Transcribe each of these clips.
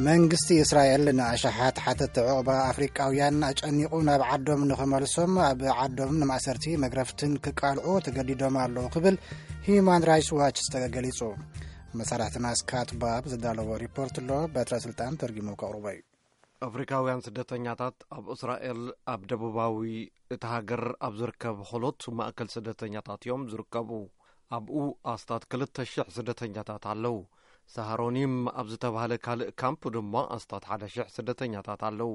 መንግስቲ እስራኤል ንኣሽሓት ሓተቲ ዑቕባ ኣፍሪቃውያን ኣጨኒቑ ናብ ዓዶም ንኽመልሶም ኣብ ዓዶም ንማእሰርቲ መግረፍትን ክቃልዑ ተገዲዶም ኣለዉ ክብል ሂዩማን ራይትስ ዋች ዝተገገሊጹ። መሳርሕትና ስካት ባብ ዝዳለዎ ሪፖርት ኣሎ፣ በትረ ስልጣን ተርጊሙ ከቕርቦ እዩ። ኣፍሪካውያን ስደተኛታት ኣብ እስራኤል፣ ኣብ ደቡባዊ እቲ ሃገር ኣብ ዝርከብ ሆሎት ማእከል ስደተኛታት እዮም ዝርከቡ። ኣብኡ ኣስታት ክልተ ሽሕ ስደተኛታት ኣለዉ። ሳሃሮኒም ኣብ ዝተባህለ ካልእ ካምፕ ድማ ኣስታት ሓደ ሽሕ ስደተኛታት ኣለዉ።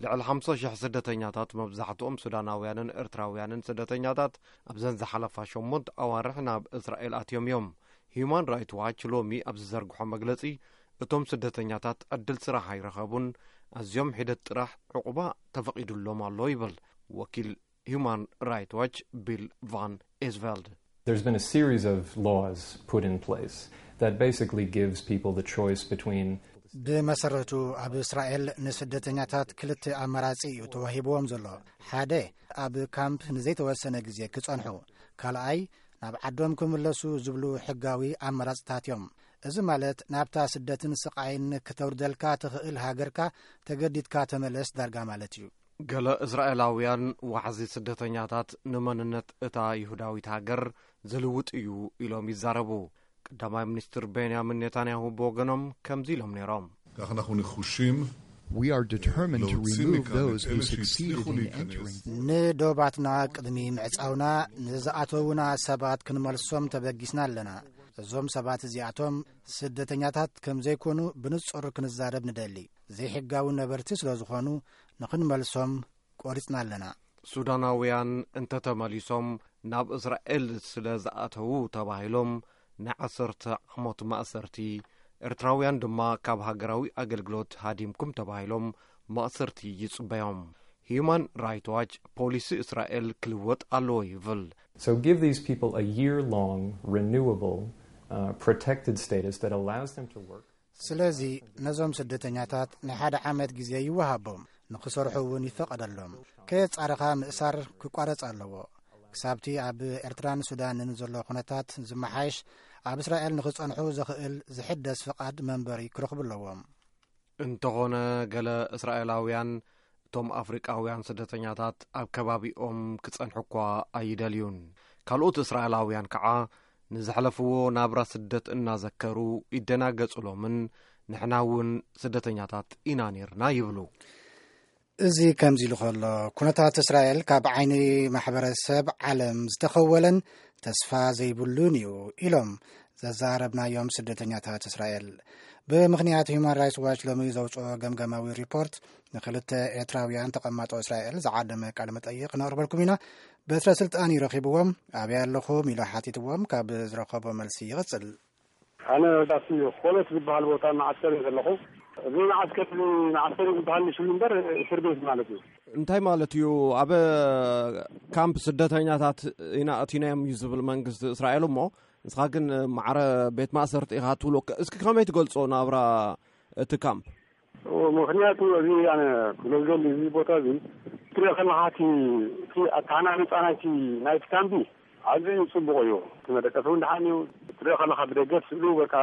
ልዕሊ ሓምሳ ሽሕ ስደተኛታት፣ መብዛሕትኦም ሱዳናውያንን ኤርትራውያንን ስደተኛታት፣ ኣብዘን ዝሓለፋ ሸሞንተ ኣዋርሕ ናብ እስራኤል ኣትዮም እዮም። ሂዩማን ራይት ዋች ሎሚ ኣብ ዝዘርግሖ መግለጺ፣ እቶም ስደተኛታት ዕድል ስራሕ ኣይረኸቡን፣ ኣዝዮም ሒደት ጥራሕ ዕቑባ ተፈቒዱሎም ኣሎ ይብል ወኪል ሂዩማን ራይት ዋች ቢል ቫን ኤስቨልድ። There's been a series of laws put in place that basically gives people the choice between ብመሰረቱ ኣብ እስራኤል ንስደተኛታት ክልተ ኣማራጺ እዩ ተዋሂብዎም ዘሎ። ሓደ፣ ኣብ ካምፕ ንዘይተወሰነ ግዜ ክጸንሑ፣ ካልኣይ፣ ናብ ዓዶም ክምለሱ ዝብሉ ሕጋዊ ኣማራጽታት እዮም። እዚ ማለት ናብታ ስደትን ስቓይን ክተውርደልካ ትኽእል ሃገርካ ተገዲድካ ተመለስ ዳርጋ ማለት እዩ። ገለ እስራኤላውያን ዋሕዚ ስደተኛታት ንመንነት እታ ይሁዳዊት ሃገር ዝልውጥ እዩ ኢሎም ይዛረቡ። ቀዳማይ ሚኒስትር ቤንያሚን ኔታንያሁ ብወገኖም ከምዚ ኢሎም ነይሮም። כך אנחנו נחושים We are determined to להוציא remove מכאן those את who אלה succeeded שהצליחו in להיכנס. entering. ንዶባትና ቅድሚ ምዕጻውና ንዝኣተዉና ሰባት ክንመልሶም ተበጊስና ኣለና። እዞም ሰባት እዚኣቶም ስደተኛታት ከም ዘይኮኑ ብንጹር ክንዛረብ ንደሊ። ዘይሕጋዊ ነበርቲ ስለ ዝኾኑ ንኽንመልሶም ቆሪጽና ኣለና። ሱዳናውያን እንተተመሊሶም ናብ እስራኤል ስለ ዝኣተዉ ተባሂሎም ንዓሰርተ ዓመት ማእሰርቲ፣ ኤርትራውያን ድማ ካብ ሃገራዊ ኣገልግሎት ሃዲምኩም ተባሂሎም ማእሰርቲ ይጽበዮም። ሂዩማን ራይት ዋች ፖሊሲ እስራኤል ክልወጥ ኣለዎ ይብል። So give these people a year long renewable uh, protected status that allows them to work. ስለዚ ነዞም ስደተኛታት ናይ ሓደ ዓመት ግዜ ይወሃቦም፣ ንኽሰርሑ እውን ይፈቐደሎም። ከየጻረኻ ምእሳር ክቋረጽ ኣለዎ። ክሳብቲ ኣብ ኤርትራን ሱዳንን ዘሎ ኩነታት ዝመሓየሽ፣ ኣብ እስራኤል ንኽጸንሑ ዘኽእል ዝሕደስ ፍቓድ መንበሪ ክረኽቡ ኣለዎም። እንተኾነ፣ ገለ እስራኤላውያን እቶም ኣፍሪቃውያን ስደተኛታት ኣብ ከባቢኦም ክጸንሑ እኳ ኣይደልዩን። ካልኦት እስራኤላውያን ከዓ ንዘሕለፍዎ ናብራ ስደት እናዘከሩ ይደናገጹሎምን ንሕና እውን ስደተኛታት ኢና ነይርና ይብሉ። እዚ ከምዚ ኢሉ ከሎ፣ ኩነታት እስራኤል ካብ ዓይኒ ማሕበረሰብ ዓለም ዝተኸወለን ተስፋ ዘይብሉን እዩ ኢሎም ዘዛረብናዮም ስደተኛታት እስራኤል። ብምኽንያት ሂዩማን ራይትስ ዋች ሎሚ ዘውፅኦ ገምገማዊ ሪፖርት፣ ንክልተ ኤርትራውያን ተቐማጦ እስራኤል ዝዓደመ ቃለ መጠይቕ ነቕርበልኩም ኢና። በትረ ስልጣን ይረኺብዎም፣ ኣበይ ኣለኹም ኢሉ ሓቲትዎም ካብ ዝረኸቦ መልሲ ይቕጽል። ኣነ ኣብቲ ኮለት ዝበሃል ቦታ መዓስከር እየ ዘለኹ። እዚ መዓስከር እዚ መዓስከር እዩ ዝበሃል ንሽሉ እምበር እስር ቤት ማለት እዩ። እንታይ ማለት እዩ? ኣብ ካምፕ ስደተኛታት ኢና እቲናዮም እዩ ዝብል መንግስቲ እስራኤል እሞ፣ ንስኻ ግን ማዕረ ቤት ማእሰርቲ ኢኻ ትብሎ። እስኪ ከመይ ትገልጾ ናብራ እቲ ካምፕ? ምኽንያቱ እዚ ኣነ ክብሎ ዝደሊ እዚ ቦታ እዚ ትሪኦ ከለኻ እቲ እቲ ኣተሃናንፃ ናይቲ ናይቲ ካምፕ ኣዝዩ ፅቡቕ እዩ። እቲ መደቀሲ እውን ደሓን እዩ። ትሪኦ ከለኻ ብደገ ስእሉ በቃ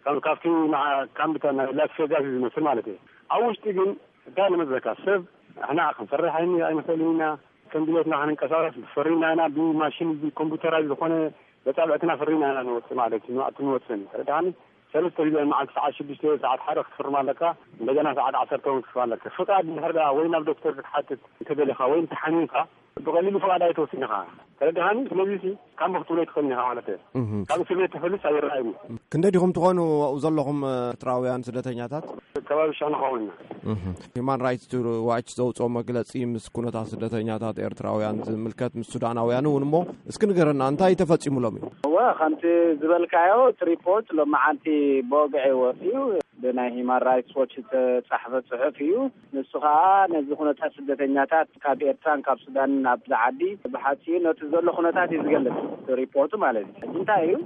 ካብ ካብቲ ንዓ- ካምፕ ናይ ላስ ቬጋስ እዩ ዝመስል ማለት እዩ። ኣብ ውሽጢ ግን እንታይ ንመስለካ ሰብ ንሕና ክንፈርሕ ኣይን- ኣይንኽእልን ኢና። ከም ድሌትና ክንንቀሳቀስ ፈሪና ኢና። ብማሽን ብኮምፒውተራዊ ዝኾነ መጻብዕትና ፈሪና ኢና ንወፅእ ማለት እዩ። ንዋዕቲ ንወፅእን ተረዳሃኒ። ሰለስተ ግዜ መዓልቲ ሰዓት ሽዱሽተ ሰዓት ሓደ ክትፍርም ኣለካ። እንደገና ሰዓት ዓሰርተ እውን ክትፍርም ኣለካ። ፍቃድ እንድሕር ደኣ ወይ ናብ ዶክተር ክትሓትት እንተደሊኻ ወይ እንተሓሚምካ ብቐሊሉ ፍቃድ ኣይትወስድን ኢኻ። ተረዳሃኒ። ስለዚ ሲ ካምቦ ክትብሎ ኣይትኽእልን ኢኻ ማለት እየ። ካብ እስር ቤት ተፈልስ ኣይረኣይን እዩ። ክንደይ ዲኹም ትኾኑ ኣብኡ ዘለኹም ኤርትራውያን ስደተኛታት? ከባቢ ሽሕ ንኸውን ኢና። ሂማን ራይትስ ዋች ዘውፅኦ መግለፂ ምስ ኩነታት ስደተኛታት ኤርትራውያን ዝምልከት ምስ ሱዳናውያን እውን እሞ እስኪ ንገረና እንታይ ተፈፂሙሎም እዩ? እወ ከምቲ ዝበልካዮ እቲ ሪፖርት ሎማዓንቲ ብወግዒ ወፂኡ ብናይ ሂማን ራይትስ ዎች ዝተፃሕፈ ፅሑፍ እዩ። ንሱ ከዓ ነዚ ኩነታት ስደተኛታት ካብ ኤርትራን ካብ ሱዳንን ኣብዚ ዓዲ ብሓፂሩ ነቲ ዘሎ ኩነታት እዩ ዝገልፅ እቲ ሪፖርቱ ማለት እዩ። ሕጂ እንታይ እዩ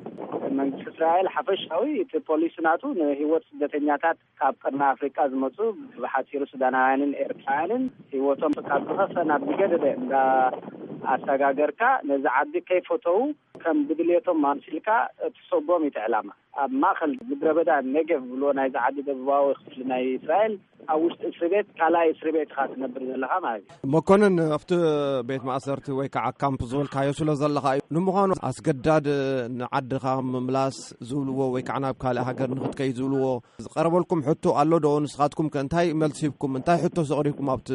መንግስቲ እስራኤል ሓፈሻዊ እቲ ፖሊሲ ናቱ ንህይወት ስደተኛታት ካብ ቀርኒ ኣፍሪቃ ዝመፁ ብሓፂሩ ሱዳናውያንን ኤርትራውያንን ህይወቶም ካብ ዝኸፈ ናብ ዝገደደ እንዳ ኣሰጋገርካ ነዚ ዓዲ ከይፈተው ከም ብድልየቶም ኣምሲልካ ትሰጎም እዩ እቲ ዕላማ። ኣብ ማእኸል ምድረ በዳ ኔጌቭ ብሎ ናይዚ ዓዲ ደቡባዊ ክፍሊ ናይ እስራኤል ኣብ ውሽጢ እስሪ ቤት ካልኣይ እስሪ ቤት ኢኻ ትነብር ዘለኻ ማለት እዩ። መኮንን፣ ኣብቲ ቤት ማእሰርቲ ወይ ከዓ ካምፕ ዝበልካዮ ስለ ዘለኻ እዩ። ንምዃኑ ኣስገዳድ ንዓድኻ ምምላስ ዝብልዎ ወይ ከዓ ናብ ካልእ ሃገር ንክትከይ ዝብልዎ ዝቐረበልኩም ሕቶ ኣሎ ዶ? ንስኻትኩም ከ እንታይ መልሲ ሂብኩም? እንታይ ሕቶ ኣቕሪብኩም ኣብቲ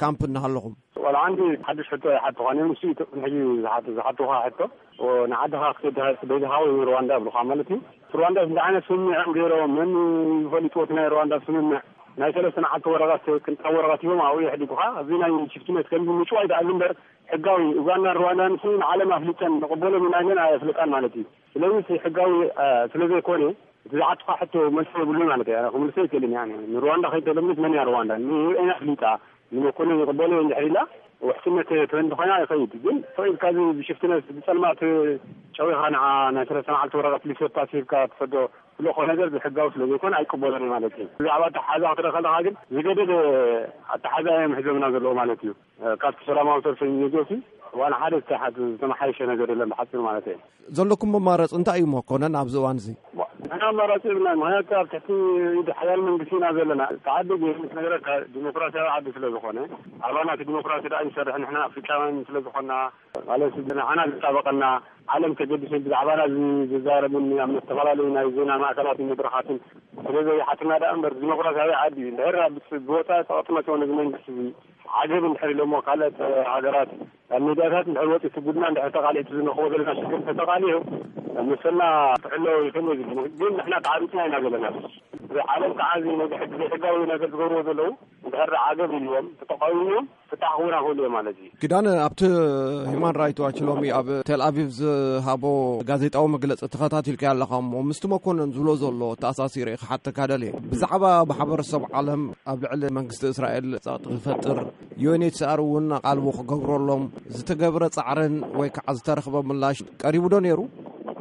ካምፕ እናሃለኹም? ዋላ ሓንቲ ሓድሽ ሕቶ ኣይሓትኹን እዮም። ንሱ እዩ ቅድሚ ሕጂ ዝሓቱ-፣ ዝሓትኻ ሕቶ። ንዓድኻ ክትከይድ ዶ-፣ ዶ-፣ ዶ-፣ ወይ ሩዋንዳ ይብሉኻ ማለት እዩ። ሩዋንዳ እንታይ ዓይነት ስምምዕ እዮም ገይሮም? መን ይፈልጥዎ እቲ ናይ ሩዋንዳ ስምምዕ? ናይ ሰለስተ መዓልቲ ወረቐት፣ ቅንጣብ ወረቐት እዮም ኣብኡ የሕዲጉኻ። እዚ ናይ ሽፍትነት ከምዚ ምጭዋይ ደኣ እምበር ሕጋዊ ኡጋንዳን ሩዋንዳን ንዓለም ኣፍሊጠን ንቕበሎም ኢና ኢለን ኣየፍልጣን ማለት እዩ። ስለዚ እቲ ሕጋዊ፣ እ፣ ስለ ዘይኮነ እቲ ዝሓትኻ ሕቶ መልሲ የብሉን ማለት እዩ። ኣነ ክምልሶ ኣይክእልን እየ። ኣነ ንሩዋንዳ ከይተለምት መን እያ ሩዋንዳ? ንዩ ኤን ኣፍሊጣ ንመኮንን ይቕበሎ እንድሕር ኢላ ውሕስነት ትበን እንተኾይና ይኸይድ። ግን ስቕ ኢልካ እዚ ብሽፍትነት ብጸልማት ጨዊኻ ንዓ ናይ ሰለስተ መዓልቲ ወረቐት ሊሰፓስ ሂብካ ትሰዶ ትልእኾ ነገር ብሕጋዊ ስለ ዘይኮነ ኣይቅበሎን እየ ማለት እዩ። ብዛዕባ ኣተሓሕዛ ክትርኢ ከለኻ ግን ዝገደደ ኣተሓሕዛ እዮም ሒዞምና ዘለዎ ማለት እዩ። ካብቲ ሰላማዊ ሰልፊ ንየጆሲ ዋላ ሓደ ዝተሓት-፣ ዝተመሓየሸ ነገር የለን ብሓፂሩ ማለት እዩ። ዘለኩም መማረፂ እንታይ እዩ መኮነን ኣብዚ እዋን እዚ? ንሕና ኣማራፂ የብልናን። ምክንያቱ ኣብ ትሕቲ ኢድ ሓያል መንግስቲ ኢና ዘለና። እቲ ዓዲ ግን ክነግረካ ዲሞክራሲያዊ ዓዲ ስለ ዝኾነ፣ ኣባና እቲ ዲሞክራሲ ደኣ ይሰርሕ። ንሕና ኣፍሪቃውያን ስለ ዝኾንና፣ ማለት ንዓና ዝጣበቐና ዓለም ተገዲሱ ብዛዕባና ዝ-፣ ዝዛረብን ኣብ ዝተፈላለዩ ናይ ዜና ማእከላትን መድረኻትን ስለ ዘይሓትና ደኣ እምበር ዲሞክራሲያዊ ዓዲ እዩ። እንድሕር ኣብ ብወፃኢ ጸቕጢ መፅኦ ነዚ መንግስቲ እዚ ዓገብ እንድሕር ኢሎሞ ካልኦት ሃገራት ኣብ ሚድያታት እንድሕር ወፂኡ እቲ ጉድና እንድሕር ተቃሊዑ እቲ ዝንረኽቦ ዘለና ሽግር ተተቃሊዑ መሰልና ክሕሎ ይኽእል እዩ ዝብል። ግን ንሕና ተዓቢጥና ኢና ዘለና። እዚ ዓለም ከዓ እዚ ነዚ ሕግ ዘይሕጋዊ ነገር ዝገብርዎ ዘለዉ እንድሕር ዓገብ ኢልዎም ተተቃዊሞም ፍታሕ ክህቡና ክእሉ እዮም ማለት እዩ። ኪዳነ፣ ኣብቲ ሂማን ራይት ዋች ሎሚ ኣብ ቴል ኣቪቭ ዝሃቦ ጋዜጣዊ መግለጺ ተኸታቲልካዮ ኣለኻ እሞ፣ ምስቲ መኮነን ዝብሎ ዘሎ ተኣሳሲረ ክሓተካ ደልየ። ብዛዕባ ማሕበረሰብ ዓለም ኣብ ልዕሊ መንግስቲ እስራኤል ጸቕጢ ክፈጥር፣ ዩ ኤን ኤች ሲ ኣር እውን ኣቓልቦ ክገብረሎም ዝተገብረ ጻዕርን ወይ ከዓ ዝተረኽበ ምላሽ ቀሪቡ ዶ ነይሩ?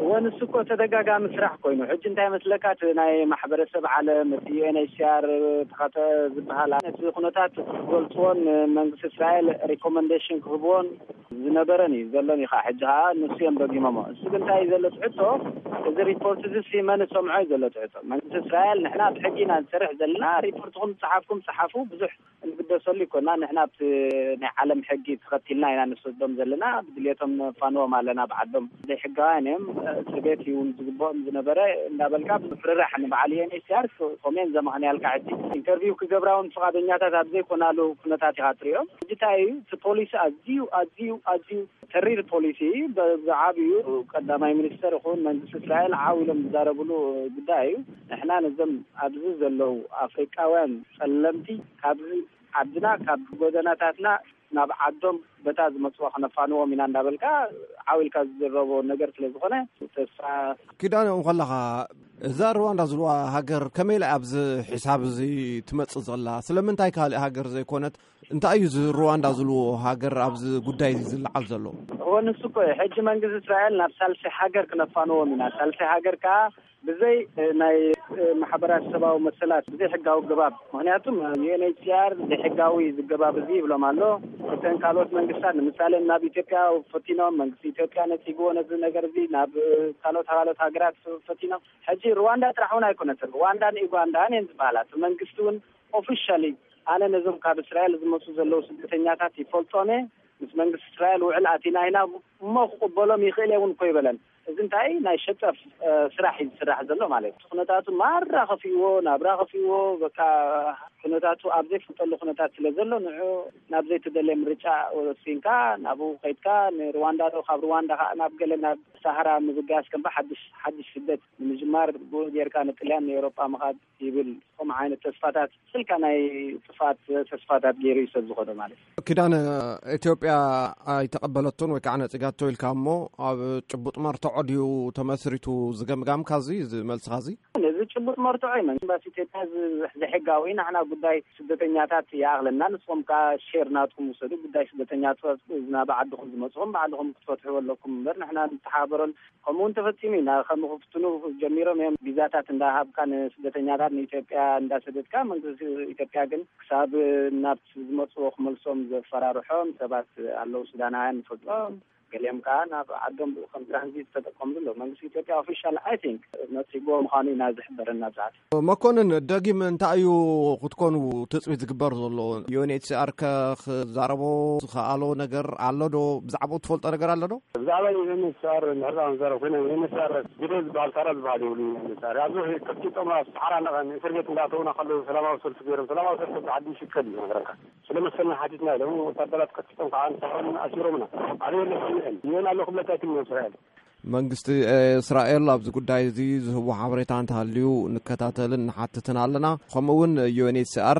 እወ፣ ንሱ እኮ ተደጋጋሚ ስራሕ ኮይኑ፣ ሕጂ እንታይ መስለካ፣ እቲ ናይ ማሕበረሰብ ዓለም፣ እቲ ዩ ኤን ኤች ሲ ኣር ተኸተ ዝበሃል፣ ነቲ ኩነታት ክገልጽዎን መንግስቲ እስራኤል ሪኮመንዴሽን ክህብዎን ዝነበረን እዩ ዘሎን እዩ። ከዓ ሕጂ ከዓ ንሱ እዮም ደጊሞሞ። እሱ ግን እንታይ እዩ ዘሎ ትሕቶ፣ እዚ ሪፖርት እዚ ሲ መን ዝሰምዖ እዩ ዘሎ ትሕቶ። መንግስቲ እስራኤል፣ ንሕና ብሕጊ ኢና ንሰርሕ ዘለና፣ ሪፖርትኩም ዝጸሓፍኩም ጸሓፉ፣ ብዙሕ እንግደሰሉ ይኮና። ንሕና ኣብቲ ናይ ዓለም ሕጊ ተኸቲልና ኢና ንሰዶም ዘለና። ብድልየቶም ነፋንዎም ኣለና ብዓዶም። ዘይሕጋውያን እዮም፣ እስር ቤት ይውን ዝግብኦም ዝነበረ እንዳበልካ፣ ብፍርራሕ ንበዓል ዩ ኤን ኤች ሲ ኣር ኮሜን ዘማኽንያልካ። ሕጂ ኢንተርቪው ክገብራ እውን ፍቓደኛታት ኣብ ዘይኮናሉ ኩነታት ኢኻ ትሪኦም። ሕጂ እንታይ እዩ እቲ ፖሊሲ? ኣዝዩ፣ ኣዝዩ፣ ኣዝዩ ተሪር ፖሊሲ። ብዓብዩ ቀዳማይ ሚኒስተር ይኹን መንግስቲ እስራኤል ዓው ኢሎም ዝዛረብሉ ጉዳይ እዩ። ንሕና ነዞም ኣብዚ ዘለዉ ኣፍሪቃውያን ጸለምቲ ካብዚ ዓድና፣ ካብ ጎደናታትና ናብ ዓዶም በታ ዝመጽዋ ክነፋንዎም ኢና እንዳበልካ ዓው ኢልካ ዝዝረቦ ነገር ስለ ዝኾነ፣ ተስፋ። ኪዳነ፣ እንከለኻ እዛ ሩዋንዳ ዝብልዋ ሃገር ከመይ ኢላ ኣብዚ ሒሳብ እዚ ትመጽእ ዘላ? ስለምንታይ ካልእ ሃገር ዘይኮነት? እንታይ እዩ እዚ ሩዋንዳ ዝብልዎ ሃገር ኣብዚ ጉዳይ እዚ ዝለዓል ዘሎ? እወ፣ ንሱ እኮ እዩ። ሕጂ መንግስቲ እስራኤል ናብ ሳልሳይ ሃገር ክነፋንዎም ኢና። ሳልሳይ ሃገር ከኣ ብዘይ፣ እ፣ ናይ፣ እ፣ ማሕበራት ሰብኣዊ መሰላት፣ ብዘይ ሕጋዊ ኣገባብ። ምክንያቱም ዩ ኤን ኤች ሲ ኣር ዘይሕጋዊ ዝገባብ እዚ ይብሎም ኣሎ። እተን ካልኦት መንግስታት፣ ንምሳሌ ናብ ኢትዮጵያ ፈቲኖም፣ መንግስቲ ኢትዮጵያ ነጺግዎ ነዚ ነገር እዚ፣ ናብ፣ እ፣ ካልኦት፣ ካልኦት ሃገራት ፈቲኖም። ሕጂ ሩዋንዳ ጥራሕ እውን ኣይኮነትን። ሩዋንዳን ዩጋንዳን እየን ዝበሃላ። እቲ መንግስቲ እውን ኦፊሻሊ፣ ኣነ ነዞም ካብ እስራኤል ዝመጹ ዘለዉ ስደተኛታት ይፈልጦም እየ፣ ምስ መንግስቲ እስራኤል ውዕል ኣቲና ኢና፣ እሞ ክቕበሎም ይኽእል እየ እውን እኮ ይበለን። እዚ እንታይ ናይ ሸጠፍ፣ እ፣ ስራሕ እዩ ዝስራሕ ዘሎ ማለት እዩ። ኩነታቱ ማራ ከፊእዎ፣ ናብራ ከፊእዎ፣ በቃ ኩነታቱ ኣብ ዘይፍልጠሉ ኩነታት ስለ ዘሎ፣ ንዑ ናብ ዘይተደለየ ምርጫ ወሲንካ፣ ናብኡ ከይድካ፣ ንሩዋንዳ ዶ፣ ካብ ሩዋንዳ ከዓ ናብ ገለ፣ ናብ ሳሃራ ምብጋስ፣ ከም ብሓድሽ፣ ሓድሽ ስደት ንምጅማር፣ ብኡ ጌርካ ንጥልያን ንኤውሮጳ ምኻድ ይብል። ከምኡ ዓይነት ተስፋታት፣ ስልካ ናይ ጥፋት ተስፋታት ገይሩ እዩ ሰብ ዝኾነ ማለት እዩ። ኪዳነ፣ ኢትዮጵያ ኣይተቐበለቶን ወይ ከዓ ነጺጋቶ ኢልካ እሞ፣ ኣብ ጭቡጥ መርትዖ ድዩ ተመስሪቱ ዝገምጋምካ እዚ፣ እዚ መልስኻ እዚ? ነዚ ጭቡጥ መርትዖ እዩ። መንግስቲ ኢትዮጵያ እዚ ዘይሕጋዊ፣ ንሕና ጉዳይ ስደተኛታት ይኣኽለና፣ ንስኹም ከኣ ሼር ናትኩም ውሰዱ፣ ጉዳይ ስደተኛታት ናብ ዓድኹም ዝመጽኹም ባዕልኹም ክትፈትሕዎ ኣለኩም እምበር፣ ንሕና ንተሓባበረሉ። ከምኡ እውን ተፈጺሙ ኢና። ከም ክፍትኑ ጀሚሮም እዮም። ቪዛታት እንዳሃብካ ንስደተኛታት ንኢትዮጵያ እንዳሰደድካ፣ መንግስቲ ኢትዮጵያ ግን ክሳብ ናብ ዝመጽዎ ክመልሶም ዘፈራርሖም ሰባት ኣለዉ። ሱዳናውያን ንፈልጦም፣ ገሊኦም ከዓ ናብ ዓዶም ብኡ ከም ትራንዚት ተጠቀምሉ ኣለዉ። መንግስቲ ኢትዮጵያ ኦፊሻል፣ I think፣ ነጺግዎ ምዃኑ ኢና ዝሕበረና ኣብዚ ሰዓት። መኮንን፣ ደጊም እንታይ እዩ ክትኮኑ ትፅቢት ዝግበር ዘሎ? ዩ ኤን ኤች ሲ ኣር ከ ክዛረቦ ዝኸኣሎ ነገር ኣሎ ዶ? ብዛዕባኡ ትፈልጦ ነገር ኣሎ ዶ? ብዛዕባ ዩ ኤን ኤች ሲ ኣር ንሕርቃ መዛረብ ኮይና፣ ዩ ኤን ኤች ሲ ኣር ግደ ዝበሃል፣ ታራ ዝበሃል የብሉ። ዩ ኤን ኤች ሲ ኣር ኣብዚ ከፊጦም ኣብ ሰሓራ ንእስር ቤት እንዳተውና ከለዉ ሰላማዊ ሰልፊ ገይሮም፣ ሰላማዊ ሰልፊ ብዓዲ ይሽከል እዩ ነገረካ። ስለመሰልና ሓቲትና ኢሎም ወታደራት ቀጥቂጦም ከዓ ንሳቶም ኣሲሮምና። ኣነ የለ ሰሚዐን። ዩኤን ኣሎ ክብለካ ኣይክእልን እስራኤል። መንግስቲ እስራኤል ኣብዚ ጉዳይ እዚ ዝህቦ ሓበሬታ እንተሃልዩ ንከታተልን ንሓትትን ኣለና። ከምኡ እውን ዩ ኤን ኤች ሲ ኣር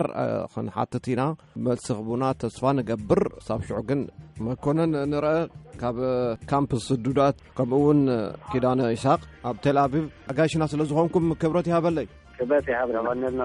ክንሓትት ኢና፣ መልሲ ክህቡና ተስፋ ንገብር። ሳብ ሽዑ ግን መኮነን ንረአ ካብ ካምፕ ስዱዳት፣ ከምኡ እውን ኪዳነ ይስሓቅ ኣብ ቴል ኣቪቭ ኣጋይሽና ስለ ዝኾንኩም ክብረት ይሃበለይ። ክብረት ይሃበለይ። ያባነልና።